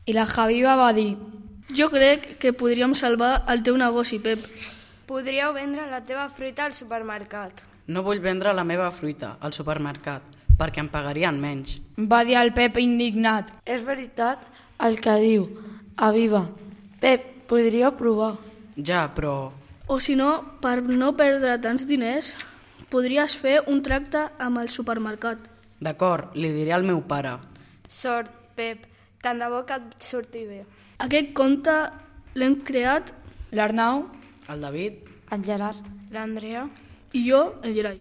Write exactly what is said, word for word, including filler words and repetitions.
I la Javiva va dir: jo crec que podríem salvar el teu negoci, Pep. Podríeu vendre la teva fruita al supermercat. No vull vendre la meva fruita al supermercat, perquè em pagarien menys. Va dir el Pep indignat. És veritat el que diu Aviva. Pep, podríeu provar. Ja, però... O si no, per no perdre tants diners, podries fer un tracte amb el supermercat. D'acord, li diré al meu pare. Sort, Pep. Tant de bo que et surti bé. Aquest conte l'hem creat L'Arnau, El David... En Gerard. L'Andrea. i jo, el Gerai.